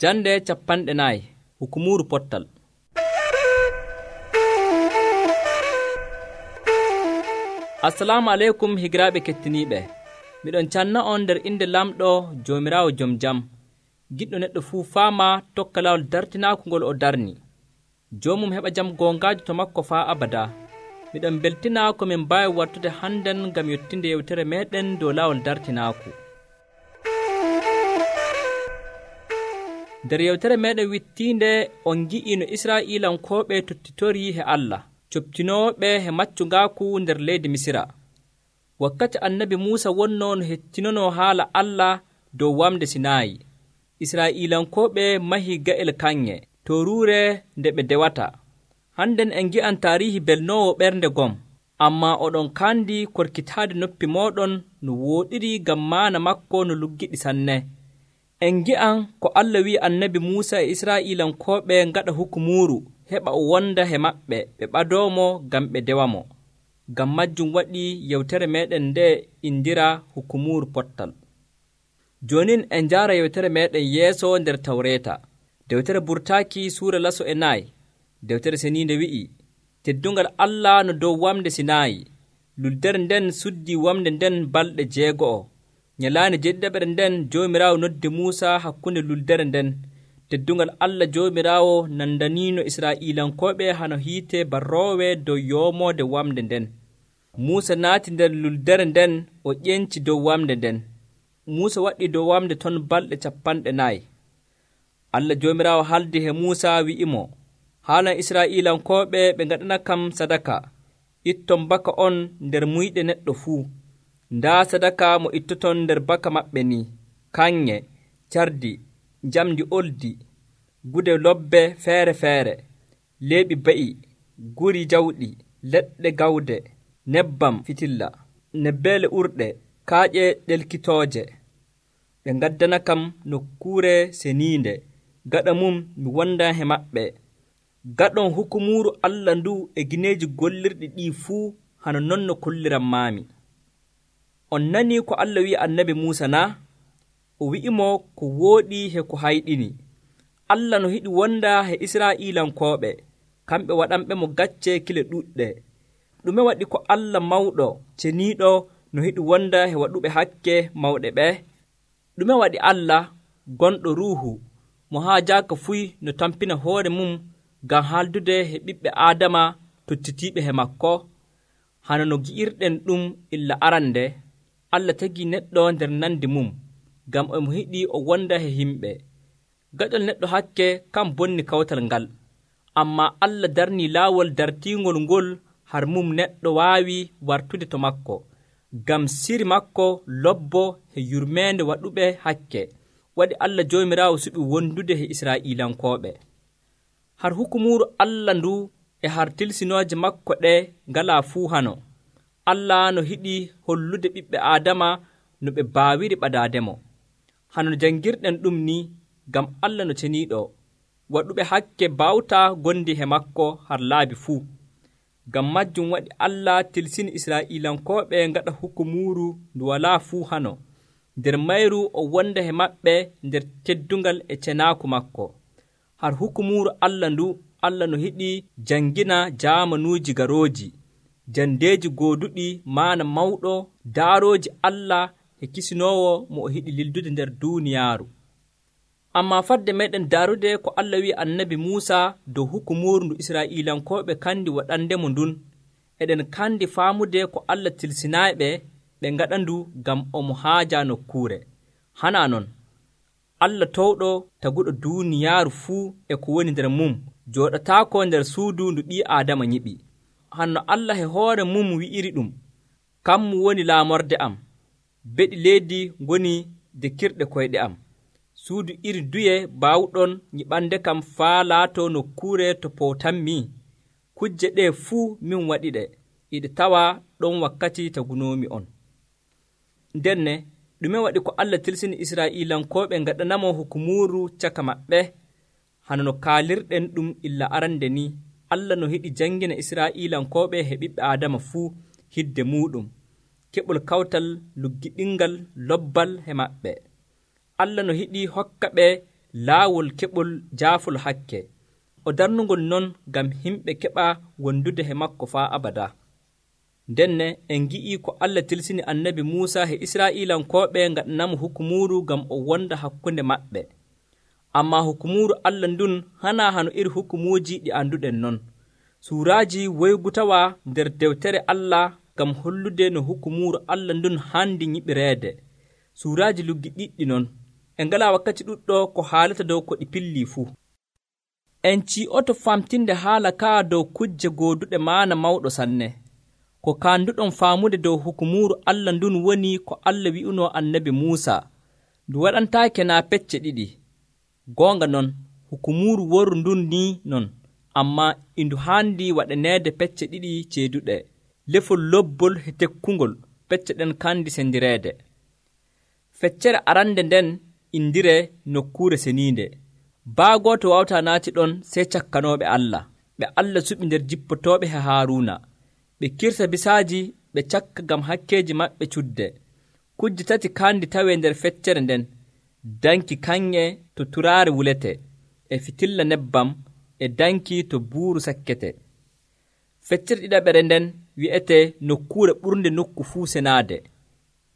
Jande 40 Hukumuru pottal. Assalamu alaikum higiraɓe kettiniɓe. Miɗon canna on nder inde lamɗo Jomirawo jom jam. Giɗɗo neɗɗo fuu faama tokka lawol dartinaaku ngol o darni. Jomum heɓa jam gongajo to makko faa abada. Miɗon beltina ko min mbaawi wartude hannden ngam yottinde yewtere meɗen dow lawol dartinaaku. Nder yewtere meɗen wittiinde on gi'i no Israa'iilankooɓe tottitorii he Allah, coptinooɓe he maccungaaku nder leydi Misira. Wakkati annabi Muusa wonnoo no hettinonoo haala Allah dow wamde Sinaayi. Israa'iilankooɓe mahii ga'el kanŋe toruure nde ɓe dewata. Hannden en ngi'an taariihi belnoowo ɓernde gom, ammaa oɗon kaandi korkitaade noppi mooɗon no wooɗiri ngam maana makko no luggiɗi sanne. En ngi'an ko Allah wi'i annabi Muusa e Israa'iilankooɓe ngaɗa hukumuru heɓa o wonda he maɓɓe ɓe ɓadoomo ngam ɓe dewamo. Ngam majjum waɗi yewtere meɗen nde indira hukumuru pottal. Jonin en njaara yewtere meɗen yeeso nder Tawreeta. Dewtere Burtaaki suura laso e 4. Dewtere seniinde wi'i, teddungal Allah no dow wamde Sinaayi. Luldere nden suddi wamde nden balɗe 6. Nyalaande 7 nden Joomiraawo noddi Muusa hakkunde luldere nden. Teddungal Allah Joomiraawo nandaniino Israa'iilankooɓe hano hiite barroowe dow yoomoode wamde nden. Muusa naati nder luldere nden o ƴenci dow wamde nden. Muusa waɗi dow wamde ton balɗe 40. Allah Joomiraawo haldi he Muusa wi'imo, haalan Israa'iilankooɓe ɓe ngaɗana kam sadaka. Itton baka on nder muyɗe neɗɗo fuu. Ndaa sadaka mo ittoton nder baka maɓɓe ni, kanŋe, cardi, njamdi oldi, gude lobbe feere-feere, leeɓi ba'i, guri jawɗi, leɗɗe gawde, nebbam fitilla, nebbeele urɗe, kaaƴe ɗelkitooje. Ɓe ngaddana kam nokkuure seniinde, gaɗa mum mi wonda he maɓɓe. Gaɗon hukumuru Allah ndu e gineeji gollirɗi ɗii fuu hano non no kolliranmaami. On nanii ko Allah wi'i annabi Muusa na? O wi'imo ko wooɗi he ko hayɗini. Allah no hiɗi wonda he Israa'iilankooɓe, kamɓe waɗanɓe mo gacce kile ɗuɗɗe. Ɗume waɗi ko Allah mawɗo ceniiɗo no hiɗi wonda he waɗuɓe hakke mawɗe ɓe? Ɗume waɗi Allah gonɗo ruuhu mo haa jaaka fuy no tampina hoore mum ngam haaldude he ɓiɓɓe Aadama tottitiiɓe he makko? Hano no gi'irɗen ɗum illa arande, Allah tagii neɗɗo nder nandi mum, ngam omo hiɗi o wonda he himɓe. Gaɗol neɗɗo hakke kam bonni kawtal ngal, ammaa Allah darnii laawol dartiingol ngol har mum neɗɗo waawi wartude to makko, ngam siri makko lobbo he yurmeende waɗuɓe hakke. Waɗi Allah Joomiraawo suɓi wondude he Israa'iilankooɓe. Har hukumuru Allah ndu e har tilsinooje makko ɗe ngalaa fuu hano. Allah no hiɗi hollude ɓiɓɓe Aadama no ɓe baawiri ɓadaademo. Hano janngirɗen ɗum ni, ngam Allah no ceniiɗo, waɗuɓe hakke baawtaa gondi he makko har laabi fuu. Ngam majjum waɗi Allah tilsini Israa'iilankooɓe ngaɗa hukumuru ndu walaa fuu hano, nder mayru o wonda he maɓɓe nder teddungal e cenaaku makko. Har hukumuru Allah ndu, Allah no hiɗi janngina jaamanuuji garooji, jandeeji gooduɗi maana mawɗo, daarooji Allah he kisinoowo mo o hiɗi lildude nder duuniyaaru. Ammaa fadde meɗen daarude ko Allah wi'i annabi Muusa dow hukumuru ndu Israa'iilankooɓe kandi waɗandemo ndun, eɗen kandi faamude ko Allah tilsinaaɓe ɓe ngaɗa ndu ngam omo haaja nokkuure. Hanaa non, Allah towɗo taguɗo duuniyaaru fuu e ko woni nder mum jooɗataako nder suudu ndu ɓii Aadama nyiɓi. Hanno Allah he hoore mum wi'iri ɗum, kammu woni laamorde am, beɗi leydi ngoni dekirɗe koyɗe am. Suudu iri duye baawɗon nyiɓande kam faa laato nokkuure to powtanmi? Kujje ɗe fuu min waɗiɗe, iɗe tawa ɗon wakkati tagunoomi on. Ndenne, ɗume waɗi ko Allah tilsini Israa'iilankooɓe ngaɗanamo hukumuru caka maɓɓe? Hano no kaalirɗen ɗum illa arande ni, Allah no hiɗi janngina Israa'iilankooɓe he ɓiɓɓe Aadama fuu hidde muɗum, keɓol kawtal luggiɗingal lobbal he maɓɓe. Allah no hiɗi hokka ɓe laawol keɓol jaafol hakke o darnugol non ngam himɓe keɓa wondude he makko faa abada. Ndenne en ngi'i ko Allah tilsini annabi Muusa he Israa'iilankooɓe ngaɗanamo hukumuuru ngam o wonda hakkunde maɓɓe. Ammaa hukumuuru Allah ndun hanaa hano iri hukumuuji ɗi annduɗen non. Suuraaji woygutawa nder dewtere Allah ngam hollude no hukumuuru Allah ndun handi nyiɓireede. Suuraaji luggi ɗiɗɗi non. En ngalaa wakkati ɗuɗɗo ko haalata dow ko ɗi pillii fuu. En ci'oto famtinde haala kaa dow kujje gooduɗe maana mawɗo sanne. Ko kaanduɗon faamude dow hukumuuru Allah ndun woni ko Allah wi'unoo annabi Muusa, ndu waɗantaake naa pecce ɗiɗi. Goonga non, hukumuuru woru ndun nii non, ammaa indu haandi waɗaneede pecce ɗiɗi ceeduɗe, lefol lobbol he tekkungol, pecce ɗen kandi sendireede. Feccere arande nden indiree nokkuure seniinde. Baagooto wawtaa naati ɗon sey cakkanooɓe Allah, ɓe Allah suɓi nder jippotooɓe he Haaruuna. Ɓe kirsa bisaaji ɓe cakka ngam hakkeeji maɓɓe cudde. Kujje tati kandi tawee nder feccere nden, danki kaŋŋe to turaare wulete, e fitilla nebbam, e danki to buuru sakkete. Feccere ɗiɗaɓere nden wi'ete nokkuure ɓurnde nokku fuu senaade.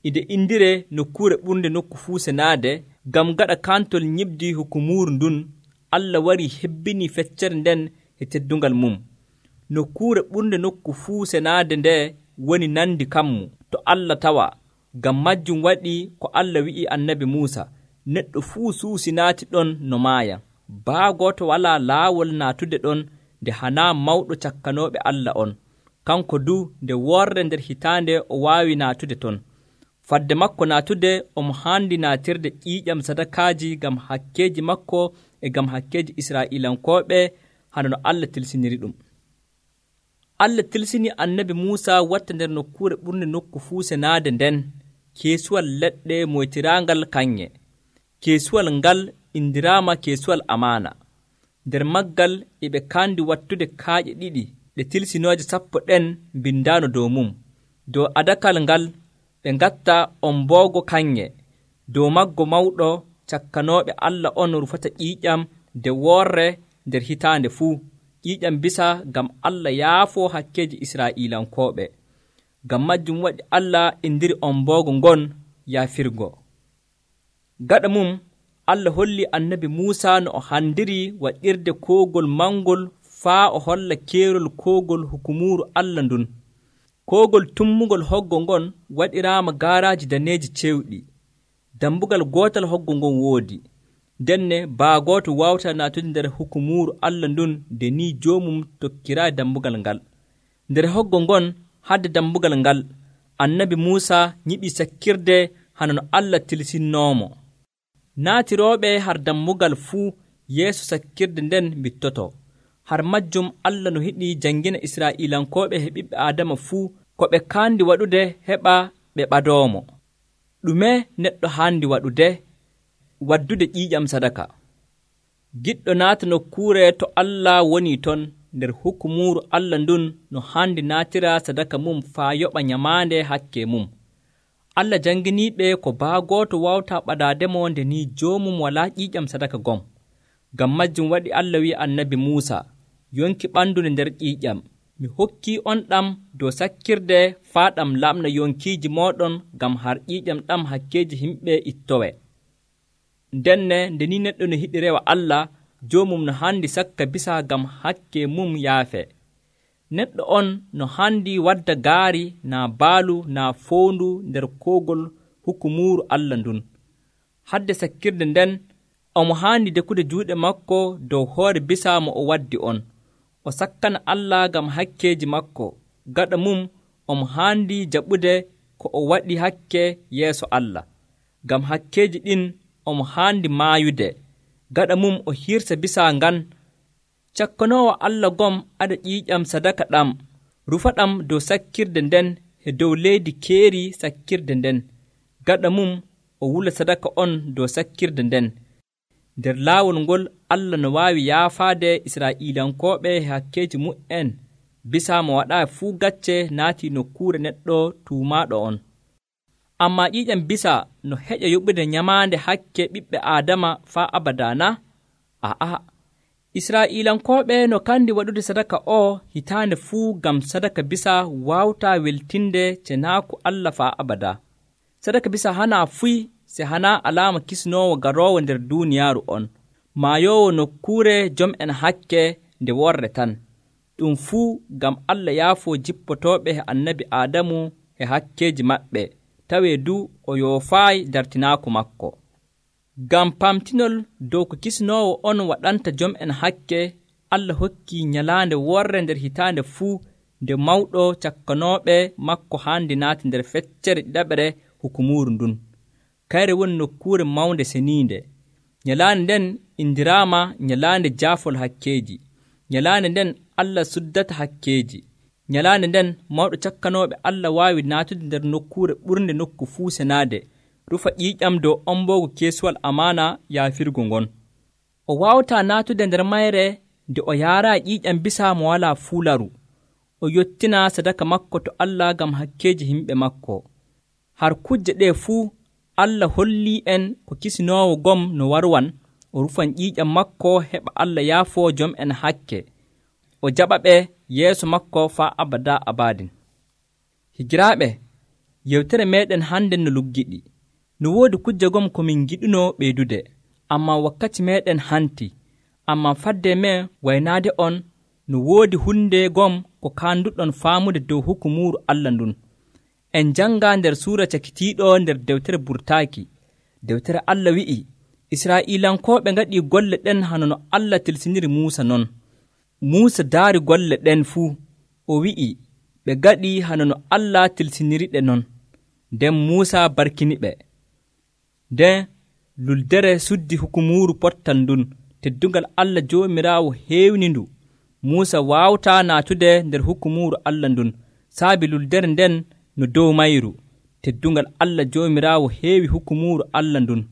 Inde indiree nokkuure ɓurnde nokku fuu senaade ngam gaɗa kantol ñibdi hukumuuru ndun, Allah warii hebbinii feccere nden e teddungal mum. Nokkuure ɓurnde nokku fuu senaade nde woni nandi kammu to Allah tawa. Ngam majjum waɗi ko Allah wi'i annabi Muusa, neɗɗo fuu suusi naati ɗon no maaya. Baagooto walaa laawol naatude ɗon nde hanaa mawɗo cakkanooɓe Allah on. Kanko du nde worre nder hitaande o waawi naatude ton. Fadde makko naatude omo haandi naatirde ƴiiƴam sadakaaji ngam hakkeeji makko e ngam hakkeeji Israa'iilankooɓe hano no Allah tilsiniri ɗum. Allah tilsini annabi Muusa watta nder nokkuure ɓurnde nokku fuu senaade nden keesuwal leɗɗe moytiraangal kaŋŋe. Keesuwal ngal indiraama keesuwal amaana. Nder maggal e ɓe kaandi wattude kaaƴe ɗiɗi ɗe tilsinooje 10 ɗen mbindaano dow mum. Dow adakal ngal ɓe ngatta omboogo kaŋŋe. Dow maggo mawɗo cakkanooɓe Allah on rufata ƴiiƴam nde worre nder hitaande fuu. Ƴiiƴam bisa ngam Allah yaafoo hakkeeji Israa'iilankooɓe. Ngam majjum waɗi Allah indiri omboogo ngon yaafirgo. Gaɗa mum Allah holli annabi Muusa no o handiri waɗirde koogol mangol faa o holla keerol koogol hukumuuru Allah ndun. Koogol tummugol hoggo ngon waɗiraama gaaraaji daneeji cewɗi. Dambugal gootal hoggo ngon woodi. Denne baagooto wawta naatude nder hukumuuru Allah ndun nde ni joomum tokkiraa dambugal ngal. Nder hoggo ngon hadde dambugal ngal, annabi Muusa nyiɓi sakkirde hano no Allah tilsinnoomo. Naatirooɓe har dambugal fuu yeeso sakkirde nden mbittoto. Har majjum Allah no hiɗi janngina Israa'iilankooɓe he ɓiɓɓe Aadama fuu ko ɓe kaandi waɗude heɓa ɓe ɓadoomo. Ɗume neɗɗo haandi waɗude? Waddude ƴiiƴam sadaka. Giɗɗo naata nokkuure to Allah woni ton nder hukumuuru Allah ndun no haandi naatira sadaka mum faa yoɓa nyamaande hakke mum. Allah jannginiiɓe ko baagooto wawta ɓadaademo nde ni joomum walaa ƴiiƴam sadaka gom. Ngam majjum waɗi Allah wi'i annabi Muusa, yonki ɓandude nder ƴiiƴam. Mi hokkii on ɗam dow sakkirde faa ɗam lamna yonkiiji mooɗon ngam har ƴiiƴam ɗam hakkeeji himɓe ittowe. Ndenne nde ni neɗɗo no hiɗi rewa Allah, joomum no haandi sakka bisa ngam hakke mum yaafe. Neɗɗo on no haandi wadda gaari naa baalu naa foondu nder koogol hukumuuru Allah ndun. Hadde sakkirde nden omo haandi dekude juuɗe makko dow hoore bisa mo o waddi on. O sakkana Allah ngam hakkeeji makko. Gaɗa mum omo haandi jaɓude ko o waɗi hakke yeeso Allah. Ngam hakkeeji ɗin omo haandi maayude. Gaɗa mum o hirsa bisa ngan. Cakkanoowo Allah gom aɗa ƴiiƴam sadaka ɗam. Rufa ɗam dow sakkirde nden e dow leydi keeri sakkirde nden. Gaɗa mum o wula sadaka on dow sakkirde nden. Nder laawol ngol Allah no waawi yaafaade Israa'iilankooɓe e hakkeeji mu'en bisa mo waɗaa fuu gacce naati nokkuure neɗɗo tuumaaɗo on. Ammaa ƴiiƴam bisa no heƴa yoɓude nyamaande hakke ɓiɓɓe Aadama faa abadana? Aa, Israa'iilankooɓe no kandi waɗude sadaka o hitaande fuu ngam sadaka bisa waawtaa weltinde cenaaku Allah faa abada. Sadaka bisa hanaa fuy se hanaa alaama kisnoowo garoowo nder duuniyaaru on, maayoowo nokkuure jom'en hakke nde worre tan. Ɗum fuu ngam Allah yaafoo jippotooɓe he annabi Aadamu e hakkeeji maɓɓe, tawee du o yoofaayi dartinaaku makko. Ngam pamtinol dow ko kisnoowo on waɗanta jom'en hakke, Allah hokkii nyalaande worre nder hitaande fuu nde mawɗo cakkanooɓe makko haandi naati nder feccere ɗiɗaɓre hukumuuru ndun. Kayre woni nokkuure mawnde seniinde. Nyalaande nden indiraama nyalaande jaafol hakkeeji. Nyalaande nden Allah suddata hakkeeji. Nyalaande nden mawɗo cakkanooɓe Allah waawi naatude nder nokkuure ɓurnde nokku fuu senaade, rufa ƴiiƴam dow omboogo keesuwal amaana yaafirgo ngon. O waawataa naatude nder mayre nde o yaaraa ƴiiƴam bisa mo walaa fuularu. O yottina sadaka makko to Allah ngam hakkeeji himɓe makko. Har kujje ɗee fuu Allah hollii en ko kisinoowo gom no warwan o rufan ƴiiƴam makko heɓa Allah yaafoo jom'en hakke, o jaɓa ɓe yeeso makko faa abada abadin. Higiraaɓe, yewtere meeɗen hande no luggiɗi. No woodi kujje gom ko min giɗunoo ɓeydude, ammaa wakkati meeɗen hanti. Ammaa fadde men waynaade on, no woodi hunde gom ko kaanduɗon faamude dow hukumuuru Allah ndun. En janga nder suura cakitiiɗo nder dewtere burtaaki. Dewtere Allah wi'i, Israa'iilankooɓe ngaɗii golle ɗen hano no Allah tilsiniri Muusa non. Muusa daari golle ɗen fuu, o wi'i ɓe ngaɗii hano no Allah tilsiniriɗe non. Nden Muusa barkiniɓe. Nden luldere suddi hukumuuru pottal ndun, teddungal Allah Joomiraawo heewnindu. Muusa waawataa naatude nder hukumuuru Allah ndun, saabi luldere nden no dow mayru. Teddungal Allah Joomiraawo heewi hukumuuru Allah ndun.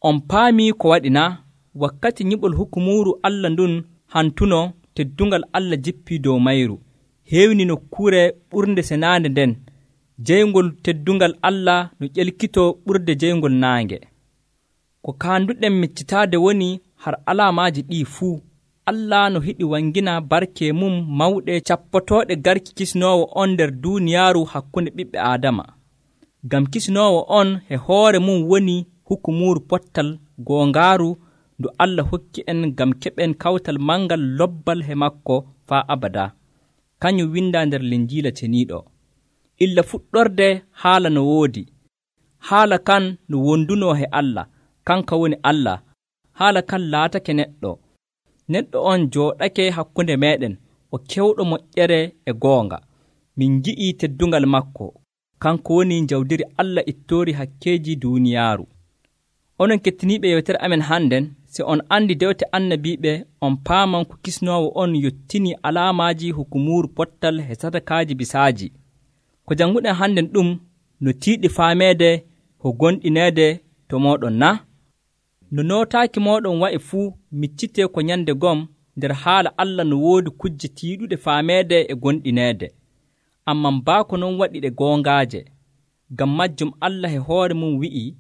On paamii ko waɗi na? Wakkati nyiɓol hukumuuru Allah ndun hantuno, teddungal Allah jippii dow mayru, heewni nokkuure ɓurnde senaande nden. Jeyngol teddungal Allah no ƴelkitoo ɓurde jeyngol naange. Ko kaanduɗen miccitaade woni har alaamaaji ɗii fuu. Allah no hiɗi wangina barke mum mawɗe cappotooɗe garki kisnoowo on nder duuniyaaru hakkunde ɓiɓɓe Aadama. Ngam kisnoowo on e hoore mum woni hukumuuru pottal goongaaru ndu Allah hokki en ngam keɓen kawtal mangal lobbal he makko faa abada. Kañum windaa nder Linjiila ceniiɗo. Illa fuɗɗorde haala no woodi. Haala kan no wondunoo he Allah, kanka woni Allah. Haala kan laatake neɗɗo. Neɗɗo on jooɗake hakkunde meeɗen, o kewɗo moƴƴere e goonga. Min ngi'ii teddungal makko, kanko woni jawdiri Allah ittoori hakkeeji duuniyaaru. Onon kettiniiɓe yewtere amen hannden, si on andi dewte annabiiɓe, on paaman ko kisnoowo on yottini alaamaaji hukumuuru pottal he sadakaaji bisaaji. Ko jannguɗen hannden ɗum no tiiɗi faameede ko gonɗineede to mooɗon na? No nootaaki mooɗon wa'i fuu miccitee ko nyande gom nder haala Allah no woodi kujje tiiɗuɗe faameede e gonɗineede. Amman baako non waɗi ɗe goongaaje. Ngam majjum Allah e hoore mum wi'i,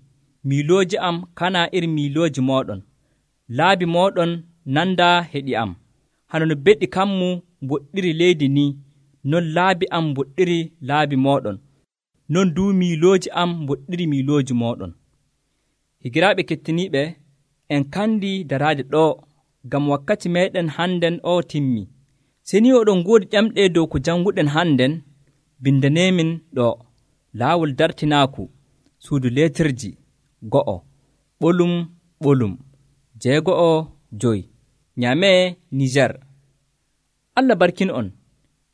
miilooji am kanaa iri miilooji mooɗon. Laabi mooɗon nandaa heɗi am. Hano no beɗi kammu mboɗɗiri leydi ni, non laabi am mboɗɗiri laabi mooɗon. Non duu miilooji am mboɗɗiri miilooji mooɗon. Higiraaɓe kettiniiɓe, en kandi daraade ɗo, ngam wakkati meeɗen hannden o timmi. Seni oɗon ngoodi ƴamɗe dow ko jannguɗen hannden, bindaneemin ɗo. Laawol dartinaaku, suudu leetirji, 1, ɓolum ɓolum, 6, Nyamee, Niger. Allah barkin on.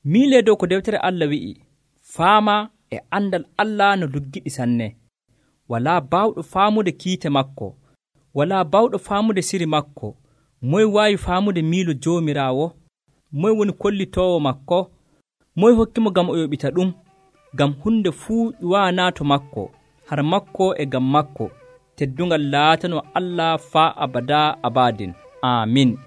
Miilee dow ko dewtere Allah wi'i, faama e andal Allah no luggiɗi sanne. Walaa baawɗo faamude kiite makko, walaa baawɗo faamude siri makko. Moy waawi faamude miilo Joomiraawo? Moy woni kollitoowo makko? Moy hokkimo ngam o yoɓita ɗum? Ngam hunde fuu ƴuwaanaa to makko, har makko e ngam makko. Teddungal laatanoo Allah faa abada abadin. Aamin.